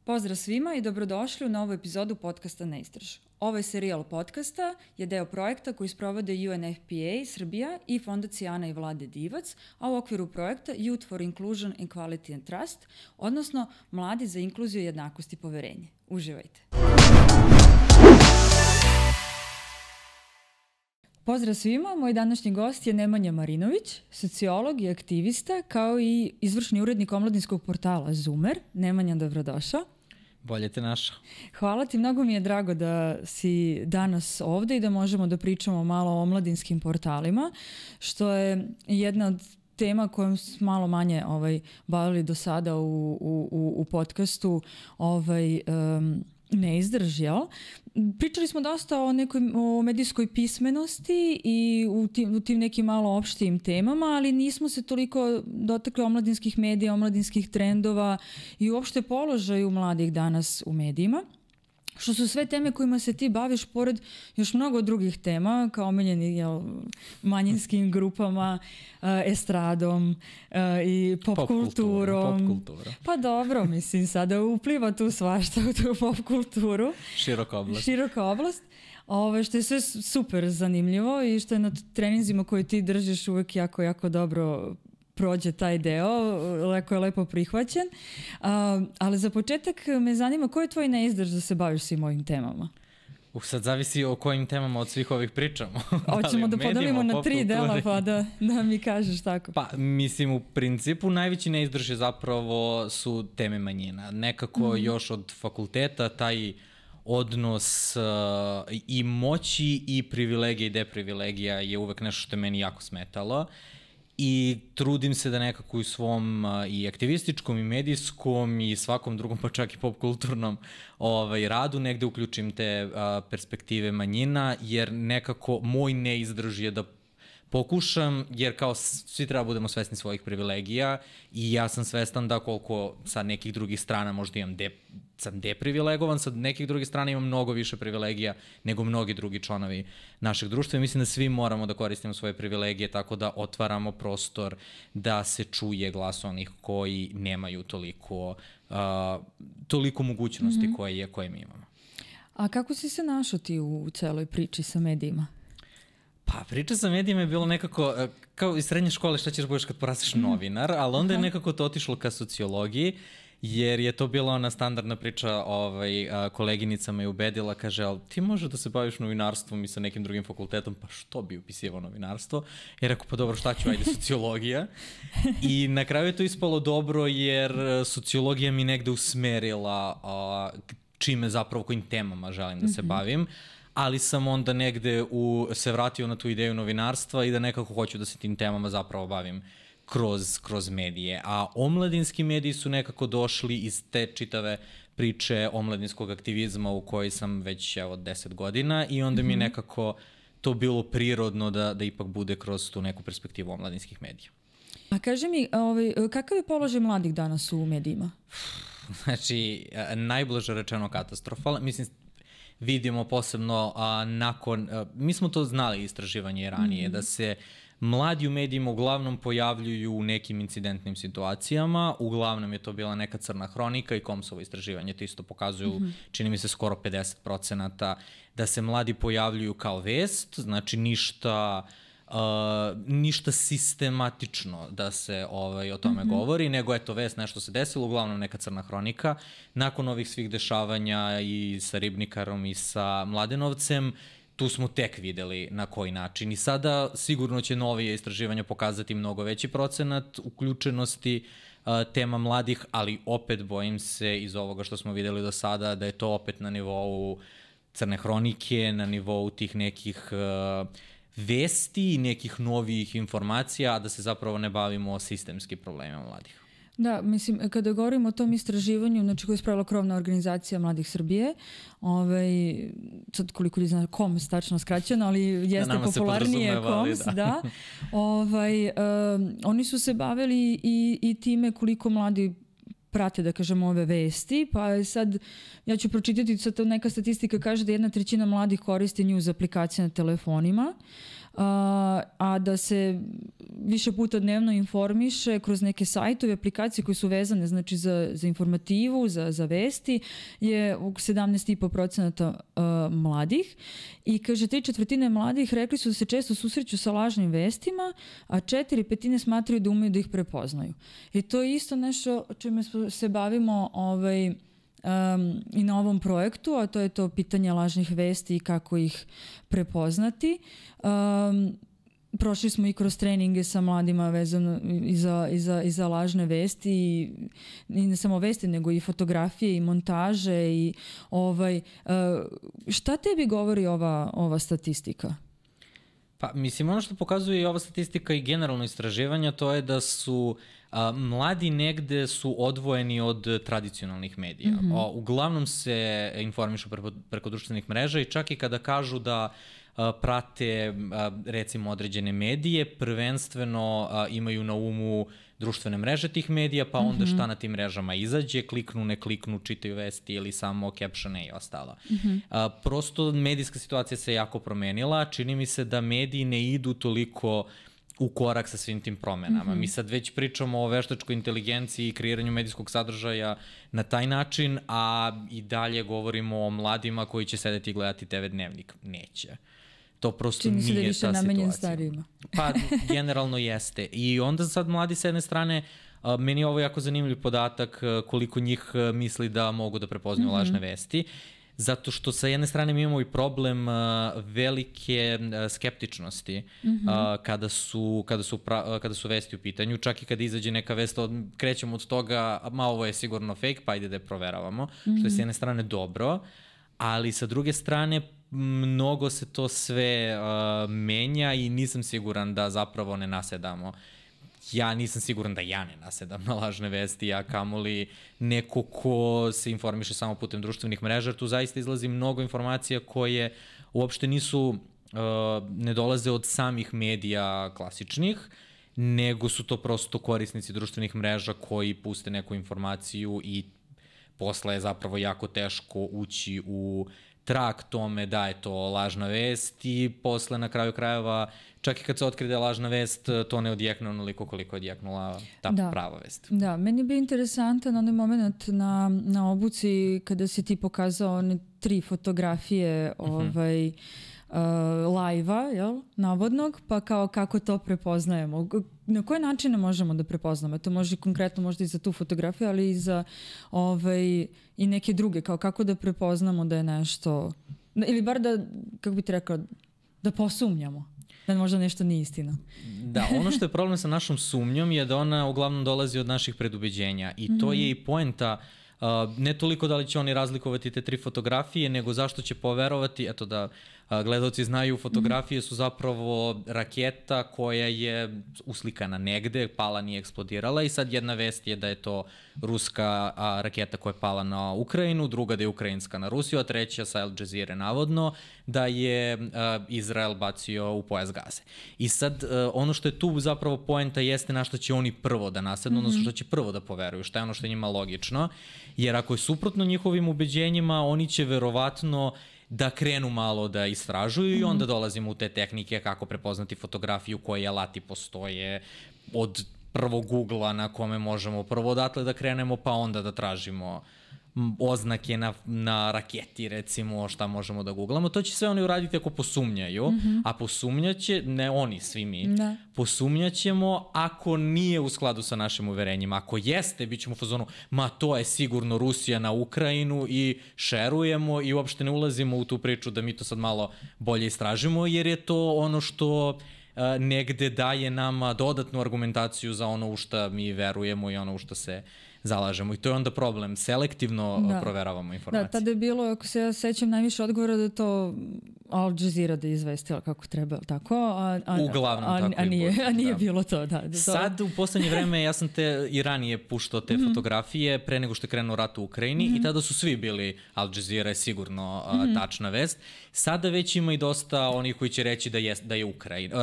Pozdrav svima i dobrodošli u novu epizodu podcasta Neistraž. Ovaj serijal podcasta je deo projekta koji sprovode UNFPA Srbija i Fondacija Ana i Vlade Divac, a u okviru projekta Youth for Inclusion, Equality and Trust, odnosno Mladi za inkluziju, jednakost i poverenje. Uživajte! Pozdrav svima, moj današnji gost je Nemanja Marinović, sociolog i aktivista, kao i izvršni urednik omladinskog portala Zoomer. Nemanja, dobrodošao. Bolje te našao. Hvala ti, mnogo mi je drago da si danas ovde i da možemo da pričamo malo o omladinskim portalima, što je jedna od tema kojom smo malo manje bavili do sada u podcastu Neistraž, jel? Pričali smo dosta o medijskoj pismenosti i u tim nekim malo opštijim temama, ali nismo se toliko dotakli omladinskih medija, omladinskih trendova i uopšte položaju mladih danas u medijima. Što su sve teme kojima se ti baviš pored još mnogo drugih tema, kao omiljeni manjinskim grupama, estradom i popkulturom. Pa dobro, mislim, sada upliva tu svašta u tu popkulturu. Široka oblast. Što je sve super zanimljivo i što je na treninzima koje ti držiš uvek jako, jako dobro prođe taj deo, lepo prihvaćen. Ali za početak me zanima koji je tvoj neizdrž da se baviš svim ovim temama? Sad zavisi o kojim temama od svih ovih pričamo. Hoćemo da podelimo na 3 dela pa da mi kažeš tako. Pa mislim u principu najveći neizdrž je zapravo su teme manjina. Nekako još od fakulteta taj odnos i moći i privilegija i deprivilegija je uvek nešto što je meni jako smetalo. I trudim se da nekako u svom i aktivističkom i medijskom i svakom drugom, pa čak i popkulturnom radu negde uključim te perspektive manjina, jer nekako moj neizdrž je da pokušam, jer kao svi treba budemo svesni svojih privilegija i ja sam svestan da koliko sa nekih drugih strana možda sam deprivilegovan, sa nekih drugih strana imam mnogo više privilegija nego mnogi drugi članovi našeg društva i mislim da svi moramo da koristimo svoje privilegije tako da otvaramo prostor da se čuje glas onih koji nemaju toliko mogućnosti koje mi imamo. A kako si se našao ti u celoj priči sa medijima? Pa priča sa medijima je bilo nekako, kao iz srednje škole šta ćeš budeš kad porasteš novinar, ali onda je nekako to otišlo ka sociologiji, jer je to bila ona standardna priča, koleginica me je ubedila, kaže, ali ti možeš da se baviš novinarstvom i sa nekim drugim fakultetom, pa što bi upisivao novinarstvo? I rekao, pa dobro, šta ću, ajde sociologija. I na kraju je to ispalo dobro, jer sociologija mi negde usmerila čime zapravo, kojim temama želim da se bavim. Ali sam onda negde se vratio na tu ideju novinarstva i da nekako hoću da se tim temama zapravo bavim kroz medije. A omladinski mediji su nekako došli iz te čitave priče omladinskog aktivizma u kojoj sam već 10 godina i onda mi je nekako to bilo prirodno da ipak bude kroz tu neku perspektivu omladinskih medija. A kaži mi, kakav je položaj mladih danas u medijima? Znači, najblaže rečeno katastrofalan. Mislim, vidimo posebno mi smo to znali istraživanje ranije, da se mladi u medijima uglavnom pojavljuju u nekim incidentnim situacijama, uglavnom je to bila neka crna hronika i Komsovo istraživanje, to isto pokazuju, čini mi se skoro 50%, da se mladi pojavljuju kao vest, znači ništa sistematično da se o tome govori, nego eto vest, nešto se desilo, uglavnom neka crna hronika. Nakon ovih svih dešavanja i sa Ribnikarom i sa Mladenovcem, tu smo tek videli na koji način. I sada sigurno će novije istraživanja pokazati mnogo veći procenat uključenosti tema mladih, ali opet bojim se iz ovoga što smo videli do sada da je to opet na nivou crne hronike, na nivou tih nekih vesti i nekih novih informacija, a da se zapravo ne bavimo sistemskim problemima mladih. Da, mislim, kada govorimo o tom istraživanju, znači koje je spravila krovna organizacija Mladih Srbije, sad koliko ljudi zna KOMS tačno skraćeno, ali jeste popularnije KOMS, da. Oni su se bavili i time koliko mladi prate, da kažemo, ove vesti, pa sad ja ću pročitati, sad neka statistika kaže da 1/3 mladih koristi news aplikacije na telefonima, a da se više puta dnevno informiše kroz neke sajtove, aplikacije koje su vezane znači za informativu, za vesti, je 17,5% mladih. I kaže, 3/4 mladih rekli su da se često susreću sa lažnim vestima, a 4/5 smatraju da umeju da ih prepoznaju. I to je isto nešto čime se bavimo i na ovom projektu, a to je to pitanje lažnih vesti i kako ih prepoznati. Prošli smo i kroz treninge sa mladima vezano i za lažne vesti i ne samo vesti, nego i fotografije i montaže i šta tebi govori ova statistika? Pa mislim, ono što pokazuje i ova statistika i generalno istraživanja, to je da su mladi negde su odvojeni od tradicionalnih medija. Uglavnom se informišu preko društvenih mreža i čak i kada kažu da prate recimo određene medije, prvenstveno imaju na umu društvene mreže tih medija, pa onda šta na tim mrežama izađe, kliknu, ne kliknu, čitaju vesti ili samo captione i ostalo. Prosto medijska situacija se jako promenila, čini mi se da mediji ne idu toliko u korak sa svim tim promenama. Mi sad već pričamo o veštačkoj inteligenciji i kreiranju medijskog sadržaja na taj način, a i dalje govorimo o mladima koji će sedeti i gledati TV Dnevnik. Neće. To prosto nije ta situacija. Čini se da više namenjen starijima. Pa, generalno jeste. I onda sad mladi s jedne strane, meni je ovo jako zanimljiv podatak koliko njih misli da mogu da prepoznaju lažne vesti. Zato što sa jedne strane mi imamo i problem velike skeptičnosti kada su vesti u pitanju. Čak i kada izađe neka vest, krećemo od toga, ovo je sigurno fake, pa ajde da je proveravamo, što je s jedne strane dobro, ali sa druge strane mnogo se to sve menja i nisam siguran da zapravo ne nasedamo. Ja nisam siguran da ja ne nasedam na lažne vesti, ja kamoli neko ko se informiše samo putem društvenih mreža, jer tu zaista izlazi mnogo informacija koje uopšte ne dolaze od samih medija klasičnih, nego su to prosto korisnici društvenih mreža koji puste neku informaciju i posle je zapravo jako teško ući u trag tome da je to lažna vest i posle na kraju krajeva, čak i kad se otkrije da je lažna vest, to ne odjekne onoliko koliko je odjeknula ta prava vest. Da, meni je bio interesantan onaj moment na obuci kada si ti pokazao one 3 fotografije live-a, jel, navodnog, pa kao kako to prepoznajemo. Na koje načine možemo da prepoznamo? To može konkretno možda i za tu fotografiju, ali i za i neke druge, kao kako da prepoznamo da je nešto, ili bar da, kako bi ti rekao, da posumnjamo da možda nešto nije istina. Da, ono što je problem sa našom sumnjom je da ona uglavnom dolazi od naših predubeđenja i to je i poenta. Ne toliko da li će oni razlikovati te 3 fotografije, nego zašto će poverovati, eto da gledalci znaju, fotografije su zapravo raketa koja je uslikana negde, pala, nije eksplodirala i sad jedna vest je da je to ruska raketa koja je pala na Ukrajinu, druga da je ukrajinska na Rusiju, a treća sa Al Jazeera navodno da je Izrael bacio u pojas Gaze. I sad ono što je tu zapravo poenta jeste na što će oni prvo da nasednu, odnosno što će prvo da poveruju, šta je ono što je njima logično, jer ako je suprotno njihovim ubeđenjima, oni će verovatno da krenu malo da istražuju i onda dolazimo u te tehnike kako prepoznati fotografiju, koji alati postoje, od prvog Google-a na kome možemo prvo odatle da krenemo, pa onda da tražimo oznake na raketi, recimo, šta možemo da googlamo. To će sve oni uraditi ako posumnjaju, a posumnjaće, ne oni, svi mi, posumnjaćemo ako nije u skladu sa našim uverenjima. Ako jeste, bit ćemo u fazonu, ma to je sigurno Rusija na Ukrajinu i šerujemo i uopšte ne ulazimo u tu priču da mi to sad malo bolje istražimo, jer je to ono što negde daje nama dodatnu argumentaciju za ono u šta mi verujemo i ono u šta se zalažemo. I to je onda problem. Selektivno proveravamo informacije. Da, tada je bilo, ako se ja sećam, najviše odgovora da je to Al Jazeera da je izvestila kako treba, tako? Uglavnom tako i bude. A nije bilo to, da. Sad, u poslednje vreme, ja sam i ranije puštao te fotografije pre nego što je krenuo rat u Ukrajini i tada su svi bili Al Jazeera je sigurno tačna vest. Sada već ima i dosta onih koji će reći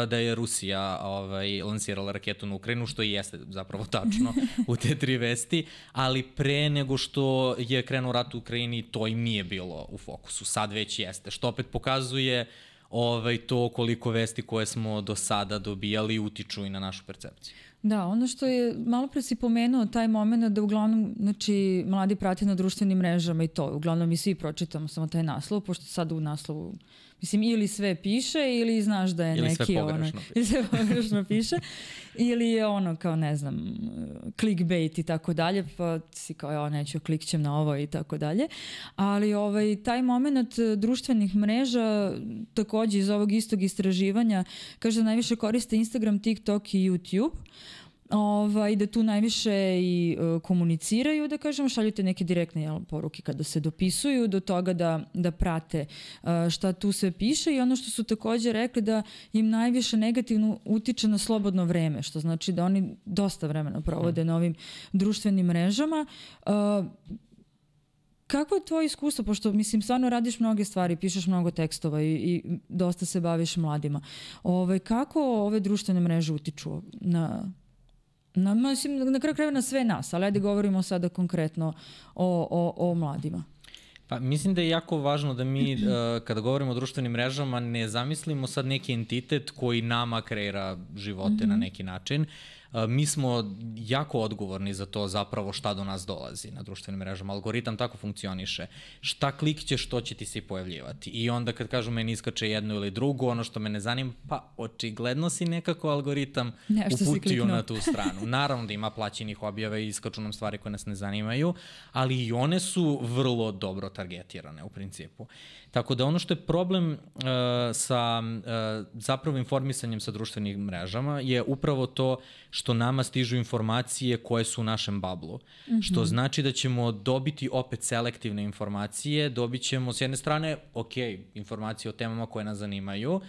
da je Rusija lansirala raketu na Ukrajinu, što i jeste zapravo tačno u te 3 vesti, ali pre nego što je krenuo rat u Ukrajini, to im nije bilo u fokusu. Sad već jeste, što opet pokazuje to koliko vesti koje smo do sada dobijali utiču i na našu percepciju. Da, ono što je, malo pre si pomenuo taj moment da uglavnom, znači, mladi prate na društvenim mrežama i to, uglavnom mi svi pročitamo samo taj naslov, pošto sad u naslovu, mislim, ili sve piše ili znaš da je ili neki sve pogrešno ili sve pogrešno piše, ili je ono kao, ne znam, clickbait i tako dalje, pa si kao, neću, klikćem na ovo i tako dalje. Ali taj moment društvenih mreža, takođe iz ovog istog istraživanja, kaže da najviše koriste Instagram, TikTok i YouTube, da tu najviše i komuniciraju, da kažemo, šaljute neke direktne poruke kada se dopisuju, do toga da prate šta tu sve piše, i ono što su takođe rekli da im najviše negativno utiče na slobodno vreme, što znači da oni dosta vremena provode na ovim društvenim mrežama. Kako je tvoje iskustvo, pošto mislim stvarno radiš mnoge stvari, pišeš mnogo tekstova i dosta se baviš mladima. Kako ove društvene mreže utiču na kraju krajeva na sve nas, ali ajde govorimo sada konkretno o mladima. Pa mislim da je jako važno da mi kada govorimo o društvenim mrežama ne zamislimo sad neki entitet koji nama kreira živote na neki način. Mi smo jako odgovorni za to zapravo šta do nas dolazi na društvenim mrežama. Algoritam tako funkcioniše. Šta klikćeš, što će ti se pojavljivati. I onda kad kažu meni iskače jedno ili drugo, ono što me ne zanima, pa očigledno si nekako algoritam uputio na tu stranu. Naravno da ima plaćenih objava i iskaču nam stvari koje nas ne zanimaju, ali i one su vrlo dobro targetirane u principu. Tako da ono što je problem sa zapravo informisanjem sa društvenim mrežama je upravo to što nama stižu informacije koje su u našem bablu. Što znači da ćemo dobiti opet selektivne informacije, dobit ćemo s jedne strane, informacije o temama koje nas zanimaju,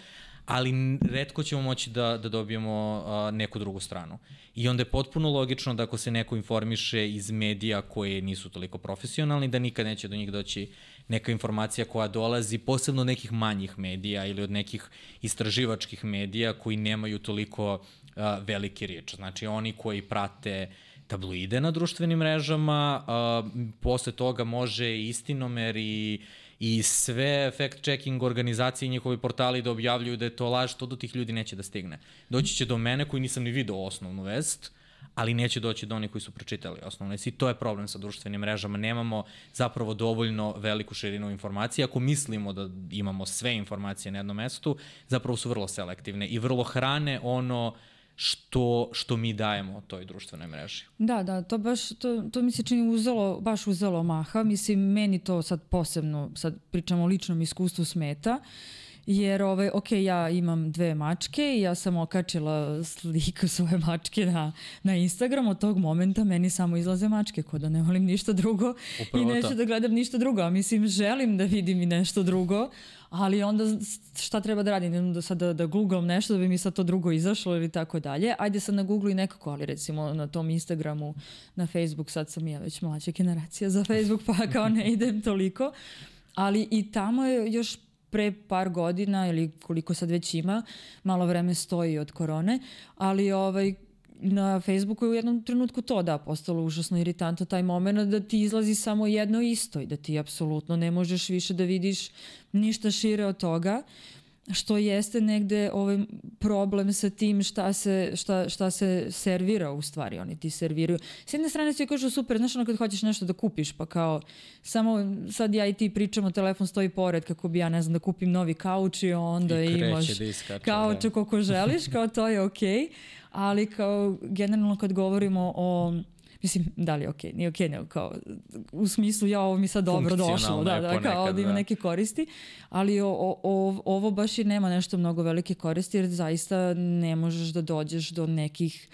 ali retko ćemo moći da dobijemo neku drugu stranu. I onda je potpuno logično da ako se neko informiše iz medija koje nisu toliko profesionalni, da nikad neće do njih doći neka informacija koja dolazi posebno od nekih manjih medija ili od nekih istraživačkih medija koji nemaju toliko veliki riječ. Znači oni koji prate tabloide na društvenim mrežama, posle toga može Istinomer i sve fact-checking organizacije i njihovi portali da objavljuju da je to laž, to do tih ljudi neće da stigne. Doći će do mene koji nisam ni video osnovnu vest, ali neće doći do onih koji su pročitali osnovnu vest. I to je problem sa društvenim mrežama. Nemamo zapravo dovoljno veliku širinu informacija. Ako mislimo da imamo sve informacije na jednom mestu, zapravo su vrlo selektivne i vrlo hrane ono što mi dajemo toj društvenoj mreži. Da, to mi se čini baš uzelo maha. Mislim, meni to sad posebno, sad pričamo o ličnom iskustvu, smeta, jer ja imam 2 mačke i ja sam okačila sliku svoje mačke na Instagram. Od tog momenta meni samo izlaze mačke, ko da ne volim ništa drugo. Upravo i neću da gledam ništa drugo. A mislim, želim da vidim i nešto drugo, ali onda šta treba da radim? Da googlam nešto da bi mi sad to drugo izašlo ili tako dalje. Ajde sad na Google i nekako, ali recimo na tom Instagramu, na Facebook, sad sam ja već mlađa generacija za Facebook, pa kao ne idem toliko. Ali i tamo je još pre par godina ili koliko sad već ima, malo vreme stoji od korone, ali na Facebooku je u jednom trenutku to postalo užasno iritantno taj moment da ti izlazi samo jedno isto i da ti apsolutno ne možeš više da vidiš ništa šire od toga, što jeste negde problem sa tim šta se servira u stvari, oni ti serviraju. S jedne strane svi kažu super, znaš kad hoćeš nešto da kupiš, pa kao samo sad ja i ti pričamo, telefon stoji pored kako bi ja ne znam da kupim novi kauč i onda imaš kauča koliko želiš, kao to je okej. Ali kao generalno kad govorimo o, mislim, da li je okej, nije okej, nego kao u smislu ovo mi sad dobro došlo, kao da ima neke koristi, ali ovo baš i nema nešto mnogo velike koristi jer zaista ne možeš da dođeš do nekih,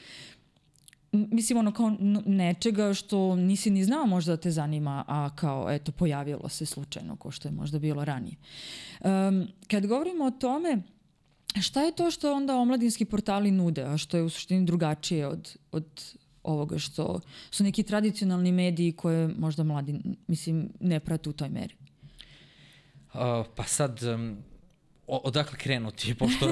mislim kao nečega što nisi ni znao možda da te zanima, a kao eto pojavilo se slučajno ko što je možda bilo ranije. Kad govorimo o tome, šta je to što onda omladinski portali nude, a što je u suštini drugačije od ovoga što su neki tradicionalni mediji koje možda mladi, mislim, ne prate u toj meri? Pa sad, odakle krenuti, pošto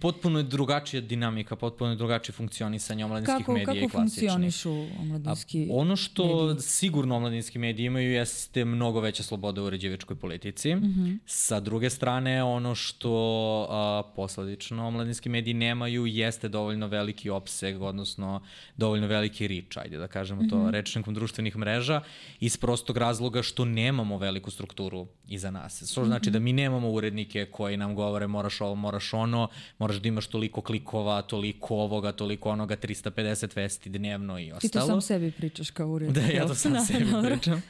potpuno je drugačija dinamika, potpuno je drugačije funkcionisanje omladinskih medija i klasičnih. Kako funkcionišu omladinski mediji? Ono što sigurno omladinski mediji imaju jeste mnogo veća sloboda u uređivačkoj politici. Sa druge strane, ono što posledično omladinski mediji nemaju jeste dovoljno veliki opseg, odnosno dovoljno veliki reach, ajde da kažemo to rečnikom društvenih mreža, iz prostog razloga što nemamo veliku strukturu iza nas. Što znači da mi nemamo urednike koji nam govore moraš ovo, moraš ono, moraš da imaš toliko klikova, toliko ovoga, toliko onoga, 350 vesti dnevno i ostalo. Ti to sam sebi pričaš kao urednik. Da, ja to sam sebi pričam.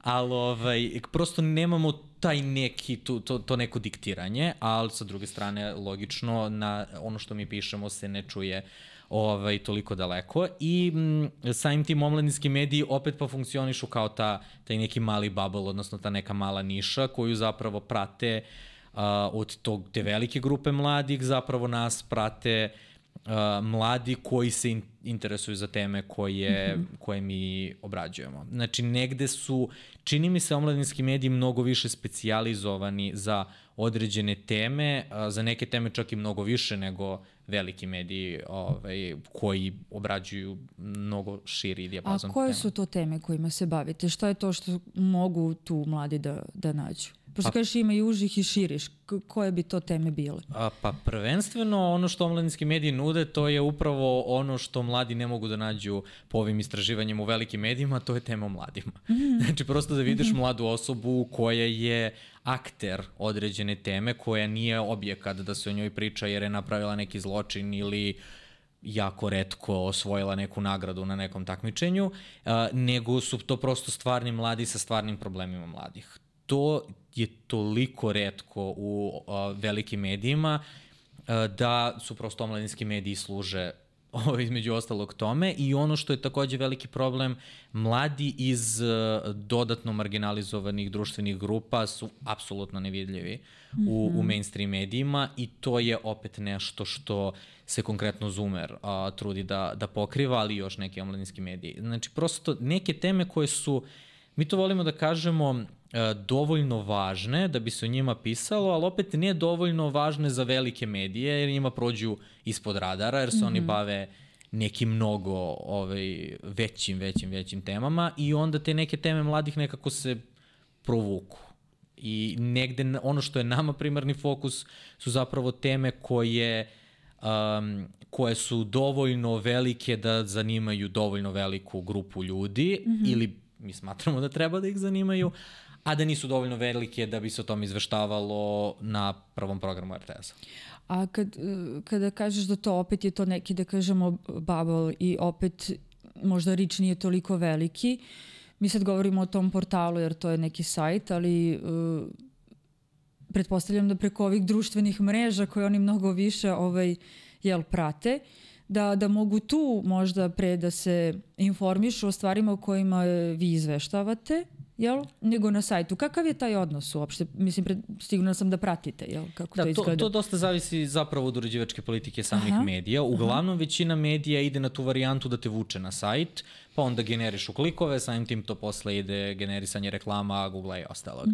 Ali prosto nemamo taj neki, to neko diktiranje, ali sa druge strane, logično, na ono što mi pišemo se ne čuje toliko daleko i samim tim omladinski mediji opet pa funkcionišu kao taj neki mali bubble, odnosno ta neka mala niša koju zapravo prate od te velike grupe mladih, zapravo nas prate mladi koji se interesuju za teme koje mi obrađujemo. Znači, negde su, čini mi se, omladinski mediji mnogo više specijalizovani za određene teme, za neke teme čak i mnogo više nego veliki mediji koji obrađuju mnogo širi dijapazon tema. A koje su to teme kojima se bavite? Šta je to što mogu tu mladi da nađu? Pošto kažeš ima i užih i širiš, koje bi to teme bile? Pa prvenstveno ono što omladinski mediji nude, to je upravo ono što mladi ne mogu da nađu po ovim istraživanjima u velikim medijima, to je tema o mladima. Znači prosto da vidiš mladu osobu koja je akter određene teme, koja nije objekat da se o njoj priča jer je napravila neki zločin ili jako retko osvojila neku nagradu na nekom takmičenju, nego su to prosto stvarni mladi sa stvarnim problemima mladih. To je toliko retko u velikim medijima da su prosto omladinski mediji služe između ostalog tome i ono što je takođe veliki problem, mladi iz dodatno marginalizovanih društvenih grupa su apsolutno nevidljivi u mainstream medijima i to je opet nešto što se konkretno Zoomer trudi da pokriva, ali još neki omladinski mediji. Znači prosto neke teme koje su, mi to volimo da kažemo, dovoljno važne da bi se o njima pisalo, ali opet ne dovoljno važne za velike medije jer njima prođu ispod radara jer se oni bave nekim mnogo većim temama i onda te neke teme mladih nekako se provuku. I negde ono što je nama primarni fokus su zapravo teme koje su dovoljno velike da zanimaju dovoljno veliku grupu ljudi ili mi smatramo da treba da ih zanimaju, a da nisu dovoljno velike da bi se o tom izveštavalo na prvom programu RTS-a. A kada kažeš da to opet je to neki, da kažemo, bubble i opet možda reach nije toliko veliki, mi sad govorimo o tom portalu jer to je neki sajt, ali pretpostavljam da preko ovih društvenih mreža koje oni mnogo više prate, da mogu tu možda pre da se informišu o stvarima o kojima vi izveštavate, jel? Nego na sajtu. Kakav je taj odnos uopšte? Mislim, sigurno sam da pratite, jel? Kako to izgleda? To dosta zavisi zapravo od uređivačke politike samih medija. Uglavnom, većina medija ide na tu varijantu da te vuče na sajt, pa onda generišu klikove, samim tim to posle ide generisanje reklama, Google i ostalog.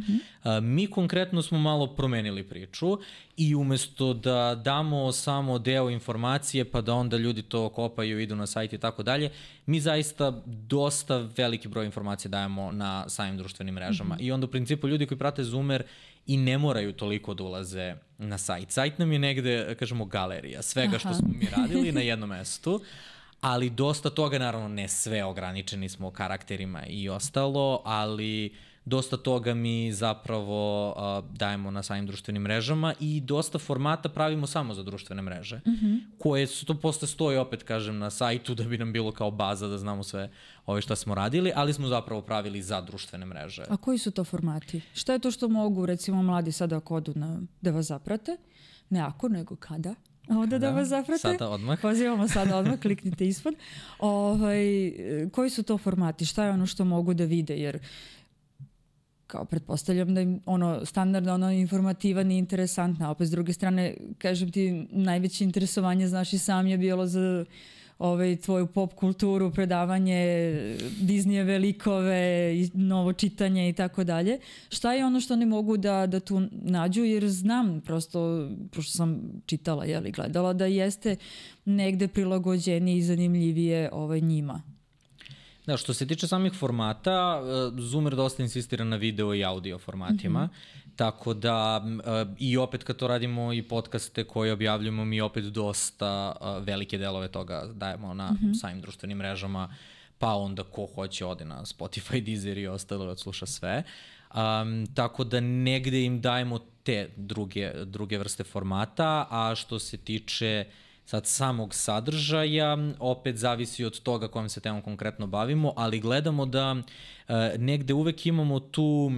Mi konkretno smo malo promenili priču i umesto da damo samo deo informacije pa da onda ljudi to kopaju, idu na sajt i tako dalje, mi zaista dosta veliki broj informacija dajemo na samim društvenim mrežama. I onda u principu ljudi koji prate Zoomer i ne moraju toliko da ulaze na sajt. Sajt nam je negde, kažemo, galerija svega što smo mi radili na jednom mestu, ali dosta toga, naravno ne sve, ograničeni smo karakterima i ostalo, ali dosta toga mi zapravo dajemo na samim društvenim mrežama i dosta formata pravimo samo za društvene mreže, koje su to posle stoji, opet kažem, na sajtu da bi nam bilo kao baza da znamo sve šta smo radili, ali smo zapravo pravili za društvene mreže. A koji su to formati? Šta je to što mogu, recimo, mladi sada ako odu da vas zaprate? Ne ako, nego kada? Ovdje da vas zaprate. Sada odmah. Pozivamo sada odmah, kliknite ispod. Koji su to formati? Šta je ono što mogu da vide? Jer kao pretpostavljam da im standardno informativan i interesantna. Opet s druge strane, kažem ti, najveće interesovanje, znaš i sam, je bilo za tvoju pop kulturu, predavanje Disneyjeve likove, novo čitanje i tako dalje. Šta je ono što oni mogu da tu nađu, jer znam prosto, pošto sam čitala, gledala, da jeste negde prilagođenije i zanimljivije njima. Da, što se tiče samih formata, Zoomer dosta insistira na video i audio formatima, tako da i opet kad to radimo i podcaste koje objavljujemo, mi opet dosta velike delove toga dajemo na samim društvenim mrežama, pa onda ko hoće ode na Spotify, Deezer i ostalo da odsluša sve. Tako da negde im dajemo te druge vrste formata, a što se tiče sad samog sadržaja, opet zavisi od toga kojom se temom konkretno bavimo, ali gledamo da negde uvek imamo tu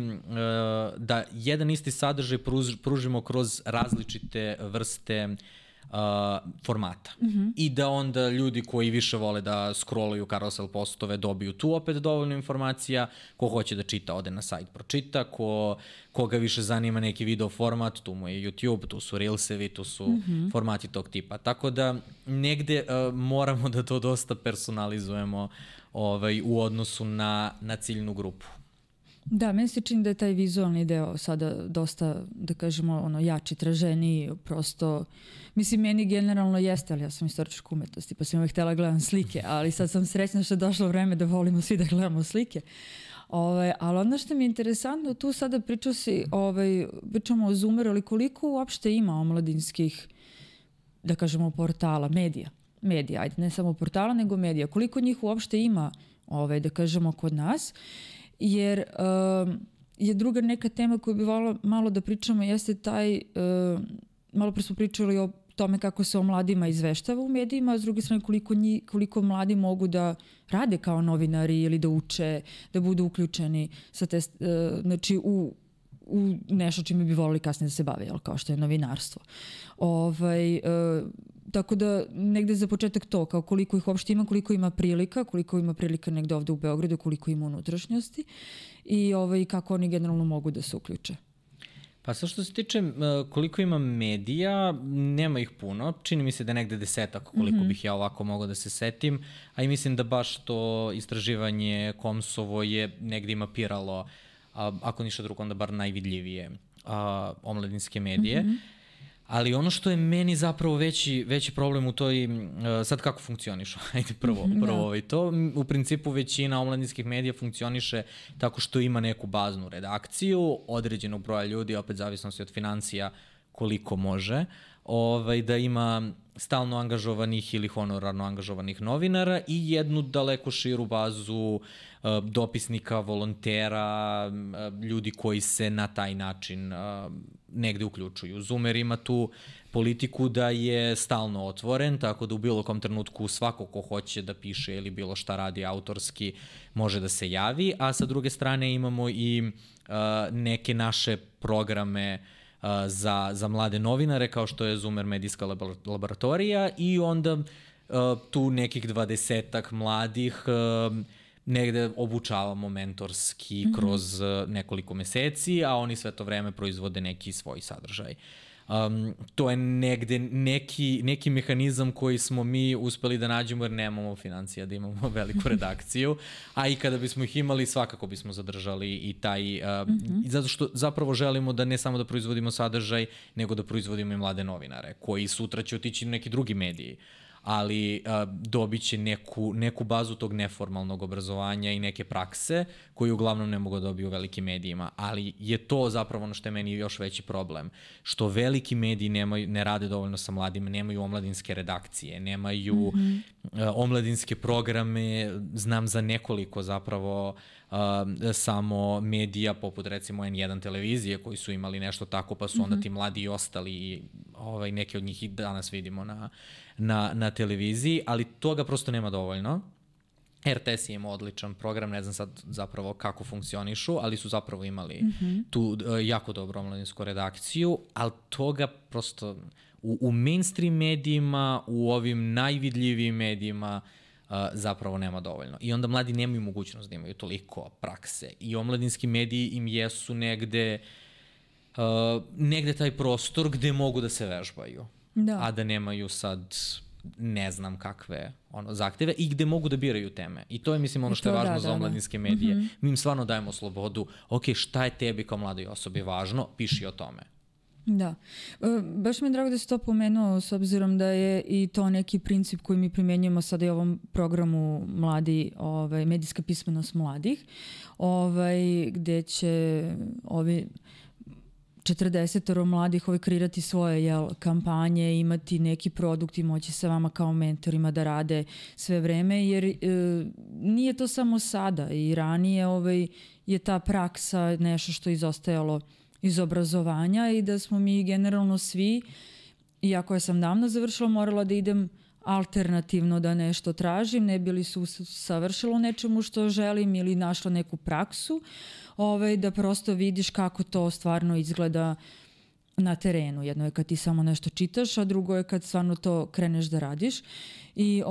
da jedan isti sadržaj pružimo kroz različite vrste formata. I da onda ljudi koji više vole da scrolluju carousel postove dobiju tu opet dovoljno informacija, ko hoće da čita ode na sajt pročita, koga više zanima neki video format, tu mu je YouTube, tu su Reelsevi, tu su formati tog tipa. Tako da negde moramo da to dosta personalizujemo u odnosu na ciljnu grupu. Da, meni se čini da je taj vizualni deo sada dosta, da kažemo, jači, traženiji, prosto, mislim, meni generalno jeste, ali ja sam istorička umetnosti, pa sam uvek htjela gledam slike, ali sad sam srećna što je došlo vreme da volimo svi da gledamo slike. Ali ono što mi je interesantno, tu sada pričamo o Zoomeru, ali koliko uopšte ima omladinskih, da kažemo, portala, medija, ajde, ne samo portala, nego medija, koliko njih uopšte ima, da kažemo, kod nas, jer je druga neka tema koju bi volila malo da pričamo, jeste taj, malo pre smo pričali o tome kako se o mladima izveštava u medijima, a s druge strane koliko mladi mogu da rade kao novinari ili da uče, da budu uključeni sa znači u nešto čime bi volili kasnije da se bave, kao što je novinarstvo. Tako da negde za početak to, kao koliko ih uopšte ima, koliko ima prilika negde ovde u Beogradu, koliko ima unutrašnjosti i kako oni generalno mogu da se uključe. Pa sad što se tiče koliko ima medija, nema ih puno, čini mi se da je negde 10 koliko bih ja ovako mogao da se setim, a i mislim da baš to istraživanje Komsovo je negde mapiralo, ako ništa drugo, onda bar najvidljivije omladinske medije. Ali ono što je meni zapravo veći problem u toj, sad kako funkcionišu, ajde prvo to, u principu većina omladinskih medija funkcioniše tako što ima neku baznu redakciju, određenog broja ljudi, opet zavisnosti od financija koliko može, da ima stalno angažovanih ili honorarno angažovanih novinara i jednu daleko širu bazu dopisnika, volontera, ljudi koji se na taj način negde uključuju. Zoomer ima tu politiku da je stalno otvoren, tako da u bilo kom trenutku svako ko hoće da piše ili bilo šta radi autorski može da se javi, a sa druge strane imamo i neke naše programe za mlade novinare, kao što je Zoomer medijska laboratorija i onda tu nekih 20-ak mladih negde obučavamo mentorski kroz nekoliko meseci, a oni sve to vreme proizvode neki svoj sadržaj. To je negde neki mehanizam koji smo mi uspeli da nađemo jer nemamo financija da imamo veliku redakciju, a i kada bismo ih imali svakako bismo zadržali i taj, zato što zapravo želimo da ne samo da proizvodimo sadržaj, nego da proizvodimo i mlade novinare koji sutra će otići na neki drugi mediji, ali dobit će neku bazu tog neformalnog obrazovanja i neke prakse koju uglavnom ne mogu da dobiju u velikim medijima, ali je to zapravo ono što je meni još veći problem, što veliki mediji ne rade dovoljno sa mladima, nemaju omladinske redakcije, nemaju omladinske programe, znam za nekoliko zapravo samo medija poput recimo N1 televizije koji su imali nešto tako pa su onda ti mladi i ostali i neke od njih i danas vidimo na televiziji, ali toga prosto nema dovoljno. RTS je imao odličan program, ne znam sad zapravo kako funkcionišu, ali su zapravo imali tu jako dobru omladinsku redakciju, ali toga prosto u mainstream medijima, u ovim najvidljivijim medijima zapravo nema dovoljno. I onda mladi nemaju mogućnost da imaju toliko prakse. I omladinski mediji im jesu negde taj prostor gde mogu da se vežbaju. Da. A da nemaju sad ne znam kakve zahteve i gde mogu da biraju teme. I to je, mislim, ono što je važno za omladinske medije. Mi im stvarno dajemo slobodu. Ok, šta je tebi kao mladoj osobi važno? Piši o tome. Da. Baš mi je drago da si to pomenuo, s obzirom da je i to neki princip koji mi primenjujemo sada i u ovom programu medijska pismenost mladih, gde će ovi 40 mladih kreirati svoje kampanje, imati neki produkt i moći sa vama kao mentorima da rade sve vreme, jer nije to samo sada, i ranije je ta praksa nešto što je izostajalo iz obrazovanja i da smo mi generalno svi, iako ja sam davno završila, morala da idem alternativno da nešto tražim, ne bi li se savršilo nečemu što želim ili našla neku praksu, da prosto vidiš kako to stvarno izgleda na terenu. Jedno je kad ti samo nešto čitaš, a drugo je kad stvarno to kreneš da radiš. I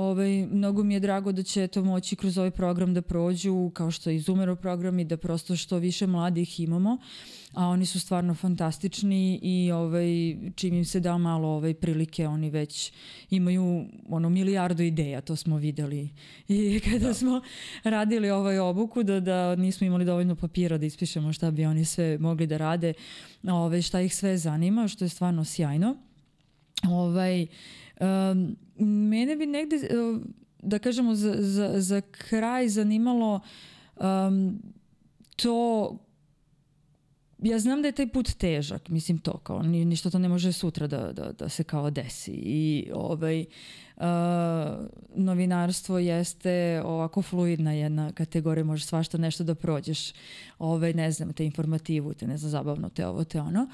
mnogo mi je drago da će to moći kroz ovaj program da prođu, kao što je Izumero program, i da prosto što više mladih imamo, a oni su stvarno fantastični i čim im se da malo prilike, oni već imaju milijardu ideja, to smo videli. I kada smo radili obuku, da nismo imali dovoljno papira da ispišemo šta bi oni sve mogli da rade, šta ih sve zanima, što je stvarno sjajno. Mene bi negde, da kažemo, za kraj zanimalo to. Ja znam da je taj put težak, mislim to, kao ništa to ne može sutra da se kao desi. I novinarstvo jeste ovako fluidna jedna kategorija, može svašta nešto da prođeš, ne znam, te informativu, te ne znam, zabavno, te ovo, te ono.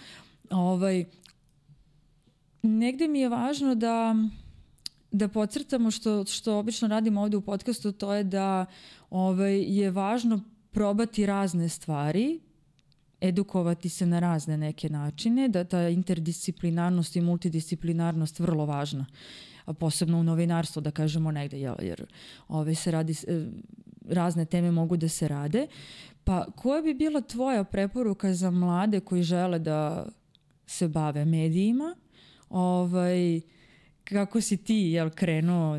Negde mi je važno da podcrtamo što obično radimo ovde u podcastu, to je da je važno probati razne stvari, edukovati se na razne neke načine, da ta interdisciplinarnost i multidisciplinarnost vrlo važna, a posebno u novinarstvu, da kažemo negde, jer se radi, razne teme mogu da se rade. Pa koja bi bila tvoja preporuka za mlade koji žele da se bave medijima? Kako si ti krenuo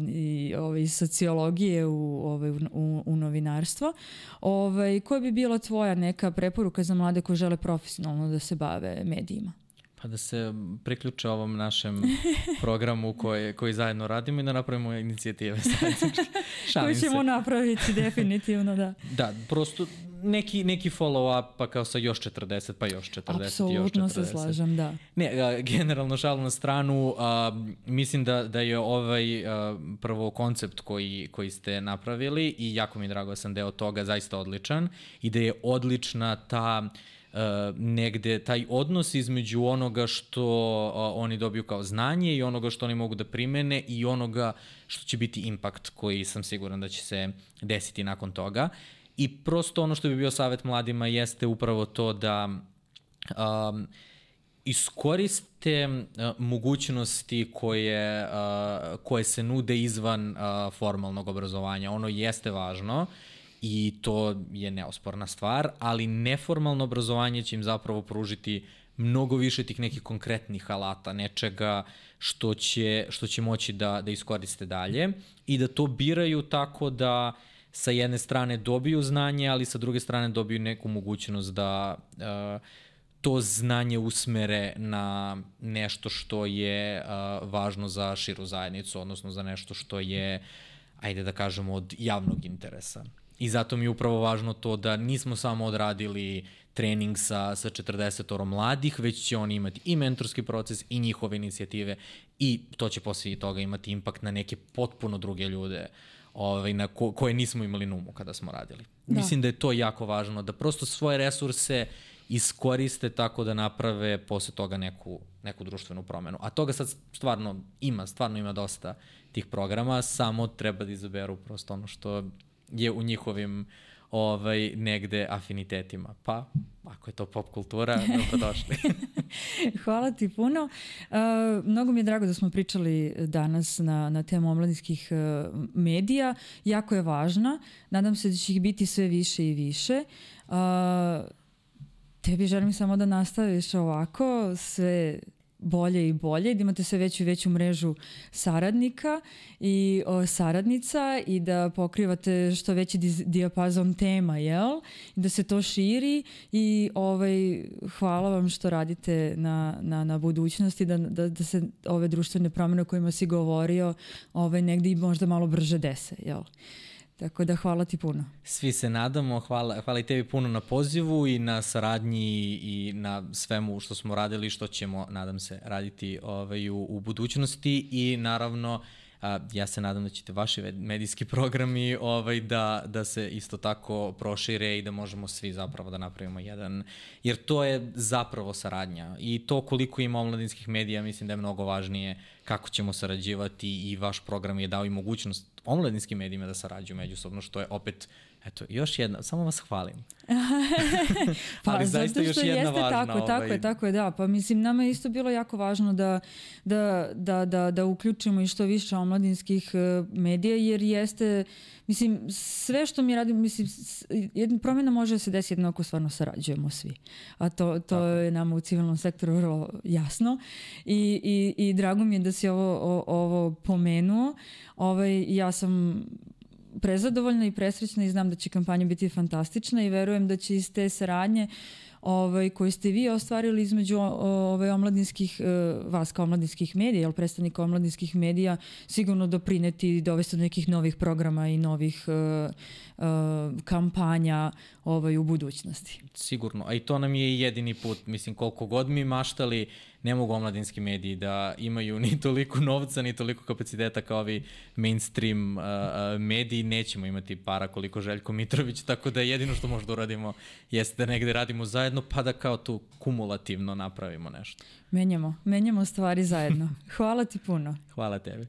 iz sociologije u novinarstvo? Koja bi bila tvoja neka preporuka za mlade koji žele profesionalno da se bave medijima? Pa da se priključe ovom našem programu koji zajedno radimo i da napravimo inicijative. Koji ćemo napraviti, definitivno, da. Da, prosto neki follow-up, pa kao sa još 40, pa još 40, apsolutno još 40. Se slažem, da. Ne, generalno šalu na stranu, mislim da je prvo koncept koji ste napravili i jako mi je drago da sam deo toga, zaista odličan i da je odlična ta negde taj odnos između onoga što oni dobiju kao znanje i onoga što oni mogu da primene i onoga što će biti impakt koji sam siguran da će se desiti nakon toga. I prosto ono što bi bio savjet mladima jeste upravo to da iskoriste mogućnosti koje se nude izvan formalnog obrazovanja. Ono jeste važno i to je neosporna stvar, ali neformalno obrazovanje će im zapravo pružiti mnogo više tih nekih konkretnih alata, nečega što će moći da iskoriste dalje i da to biraju tako da sa jedne strane dobiju znanje, ali sa druge strane dobiju neku mogućnost da to znanje usmere na nešto što je važno za širu zajednicu, odnosno za nešto što je, ajde da kažemo, od javnog interesa. I zato mi je upravo važno to da nismo samo odradili trening sa 40 mladih, već će oni imati i mentorski proces i njihove inicijative i to će poslije toga imati impakt na neke potpuno druge ljude na koje nismo imali na umu kada smo radili. Da. Mislim da je to jako važno, da prosto svoje resurse iskoriste tako da naprave posle toga neku društvenu promenu. A toga sad stvarno ima dosta tih programa, samo treba da izaberu prosto ono što je u njihovim negde afinitetima. Pa, ako je to pop kultura, dobrodošli. Hvala ti puno. Mnogo mi je drago da smo pričali danas na temu omladinskih medija. Jako je važna. Nadam se da će ih biti sve više i više. Tebi želim samo da nastaviš ovako, sve bolje i bolje, da imate sve veću i veću mrežu saradnika i saradnica i da pokrivate što veći dijapazon tema, jel? I da se to širi i hvala vam što radite na budućnosti, da se ove društvene promjene o kojima si govorio negdje i možda malo brže dese, jel? Tako da hvala ti puno. Svi se nadamo, hvala i tebi puno na pozivu i na saradnji i na svemu što smo radili i što ćemo, nadam se, raditi u budućnosti i naravno ja se nadam da ćete vaši medijski programi da se isto tako prošire i da možemo svi zapravo da napravimo jedan, jer to je zapravo saradnja i to koliko ima omladinskih medija mislim da je mnogo važnije kako ćemo sarađivati i vaš program je dao i mogućnost omladinskim medijima da sarađuju međusobno, što je opet, eto, još jedna, samo vas hvalim. Ali zaista još jedna važna. Tako je, da. Pa mislim, nama je isto bilo jako važno da uključimo i što više omladinskih medija, jer jeste, mislim, sve što mi radimo, mislim, jedna promjena može da se desi jedno ako stvarno sarađujemo svi. A to je nama u civilnom sektoru vrlo jasno. I drago mi je da si ovo pomenuo. Ja sam prezadovoljna i presrećna i znam da će kampanja biti fantastična i verujem da će iz te saradnje koje ste vi ostvarili između omladinskih, vas kao omladinskih medija, jel predstavnika omladinskih medija, sigurno doprineti i dovesti do nekih novih programa i novih kampanja u budućnosti. Sigurno, a i to nam je jedini put, mislim, koliko god mi maštali, ne mogu omladinski mediji da imaju ni toliko novca, ni toliko kapaciteta kao ovi mainstream mediji, nećemo imati para koliko Željko Mitrović, tako da jedino što možda uradimo jeste da negde radimo zajedno, pa da kao tu kumulativno napravimo nešto. Menjamo stvari zajedno. Hvala ti puno. Hvala tebi.